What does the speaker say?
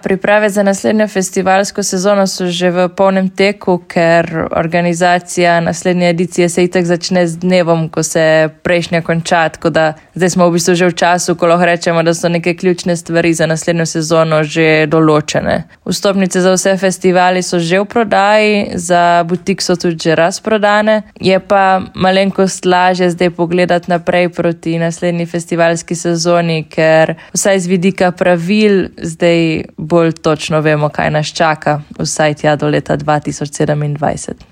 priprave za naslednjo festivalsko sezono so že v polnem teku, ker organizacija naslednje edicije se itak začne z dnevom, ko se prejšnja konča, tako da zdaj smo v bistvu že v času, ko lahko rečemo, da so neke ključne stvari za naslednjo sezono že določene. Vstopnice za vse festivali so že v prodaji, za butik so tudi že razprodane, je pa malenkost lažje zdaj pogledati naprej proti naslednji festivalski sezoni, ker vsaj z vidika pravil zdaj bolj točno vemo, kaj nas čaka, vsaj tja do leta 2027.